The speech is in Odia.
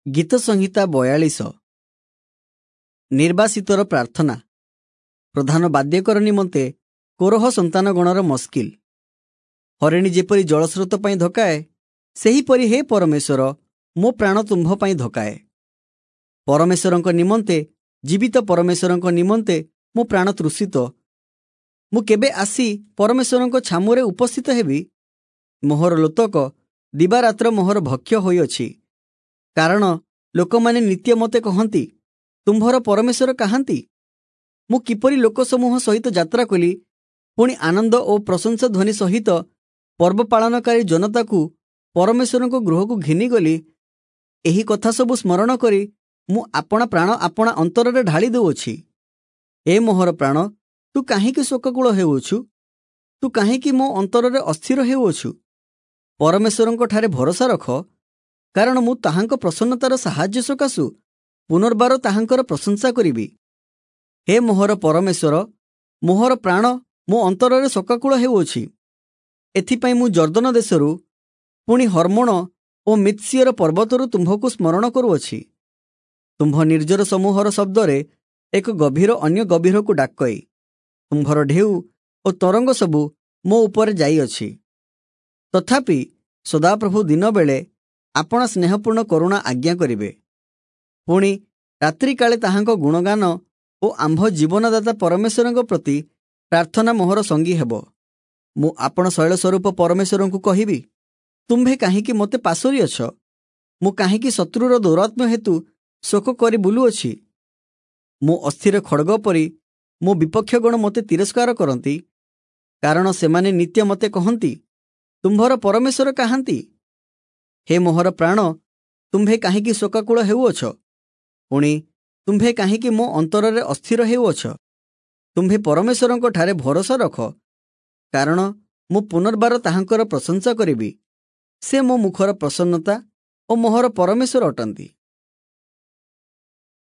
ଗୀତ ସଂହିତା 42। ନିର୍ବାସିତର ପ୍ରାର୍ଥନା। ପ୍ରଧାନ ବାଦ୍ୟକର ନିମନ୍ତେ କୋରହ ସନ୍ତାନଗଣର ମସ୍କିଲ। ହରିଣୀ ଯେପରି ଜଳସ୍ରୋତ ପାଇଁ ଧକାଏ, ସେହିପରି ହେ ପରମେଶ୍ୱର, ମୋ ପ୍ରାଣ ତୁମ୍ଭ ପାଇଁ ଧକାଏ। ପରମେଶ୍ୱରଙ୍କ ନିମନ୍ତେ, ଜୀବିତ ପରମେଶ୍ୱରଙ୍କ ନିମନ୍ତେ ମୋ ପ୍ରାଣ ତୃଷିତ। ମୁଁ କେବେ ଆସି ପରମେଶ୍ୱରଙ୍କ ଛାମୁରେ ଉପସ୍ଥିତ ହେବି? ମୋହର ଲୋତକ ଦିବାରାତ୍ର ମୋହର ଭକ୍ଷ୍ୟ ହୋଇଅଛି। କାରଣ ଲୋକମାନେ ନିତ୍ୟ ମୋତେ କହନ୍ତି, ତୁମ୍ଭର ପରମେଶ୍ୱର କାହାନ୍ତି? ମୁଁ କିପରି ଲୋକସମୂହ ସହିତ ଯାତ୍ରା କଲି, ପୁଣି ଆନନ୍ଦ ଓ ପ୍ରଶଂସା ଧ୍ୱନି ସହିତ ପର୍ବ ପାଳନକାରୀ ଜନତାକୁ ପରମେଶ୍ୱରଙ୍କ ଗୃହକୁ ଘେନିଗଲି। ଏହି କଥା ସବୁ ସ୍ମରଣ କରି ମୁଁ ଆପଣା ପ୍ରାଣ ଆପଣା ଅନ୍ତରରେ ଢାଳି ଦେଉଅଛି। ଏ ମୋହର ପ୍ରାଣ, ତୁ କାହିଁକି ଶୋକାକୁଳ ହେଉଅଛୁ? ତୁ କାହିଁକି ମୋ ଅନ୍ତରରେ ଅସ୍ଥିର ହେଉଅଛୁ? ପରମେଶ୍ୱରଙ୍କଠାରେ ଭରସା ରଖ, କାରଣ ମୁଁ ତାହାଙ୍କ ପ୍ରସନ୍ନତାର ସାହାଯ୍ୟ ସକାଶୁ ପୁନର୍ବାର ତାହାଙ୍କର ପ୍ରଶଂସା କରିବି। ହେ ମୋହର ପରମେଶ୍ୱର, ମୋହର ପ୍ରାଣ ମୋ ଅନ୍ତରରେ ଶୋକାକୁଳ ହେଉଅଛି। ଏଥିପାଇଁ ମୁଁ ଯର୍ଦ୍ଦନ ଦେଶରୁ, ପୁଣି ହର୍ମୋଣ ଓ ମିତ୍ସିୟର ପର୍ବତରୁ ତୁମ୍ଭକୁ ସ୍ମରଣ କରୁଅଛି। ତୁମ୍ଭ ନିର୍ଜର ସମୂହର ଶବ୍ଦରେ ଏକ ଗଭୀର ଅନ୍ୟ ଗଭୀରକୁ ଡାକଇ, ତୁମ୍ଭର ଢେଉ ଓ ତରଙ୍ଗ ସବୁ ମୋ ଉପରେ ଯାଇଅଛି। ତଥାପି ସଦାପ୍ରଭୁ ଦିନବେଳେ ଆପଣା ସ୍ନେହପୂର୍ଣ୍ଣ କରୁଣା ଆଜ୍ଞା କରିବେ, ପୁଣି ରାତ୍ରିକାଳେ ତାହାଙ୍କ ଗୁଣଗାନ ଓ ଆମ୍ଭ ଜୀବନଦାତା ପରମେଶ୍ୱରଙ୍କ ପ୍ରତି ପ୍ରାର୍ଥନା ମୋହର ସଙ୍ଗୀ ହେବ। ମୁଁ ଆପଣ ଶୈଳ ସ୍ୱରୂପ ପରମେଶ୍ୱରଙ୍କୁ କହିବି, ତୁମ୍ଭେ କାହିଁକି ମୋତେ ପାଶୋରିଅଛ? ମୁଁ କାହିଁକି ଶତ୍ରୁର ଦୌରାତ୍ମ୍ୟ ହେତୁ ଶୋକ କରି ବୁଲୁଅଛି? ମୁଁ ଅସ୍ଥିର ଖଡ଼ଗ ପରି ମୋ ବିପକ୍ଷଗଣ ମୋତେ ତିରସ୍କାର କରନ୍ତି, କାରଣ ସେମାନେ ନିତ୍ୟ ମୋତେ କହନ୍ତି, ତୁମ୍ଭର ପରମେଶ୍ୱର କାହାନ୍ତି? ହେ ମୋହର ପ୍ରାଣ, ତୁମ୍ଭେ କାହିଁକି ଶୋକାକୁଳ ହେଉଅଛ? ପୁଣି ତୁମ୍ଭେ କାହିଁକି ମୋ ଅନ୍ତରରେ ଅସ୍ଥିର ହେଉଅଛ? ତୁମ୍ଭେ ପରମେଶ୍ୱରଙ୍କଠାରେ ଭରସା ରଖ, କାରଣ ମୁଁ ପୁନର୍ବାର ତାହାଙ୍କର ପ୍ରଶଂସା କରିବି। ସେ ମୋ ମୁଖର ପ୍ରସନ୍ନତା ଓ ମୋହର ପରମେଶ୍ୱର ଅଟନ୍ତି।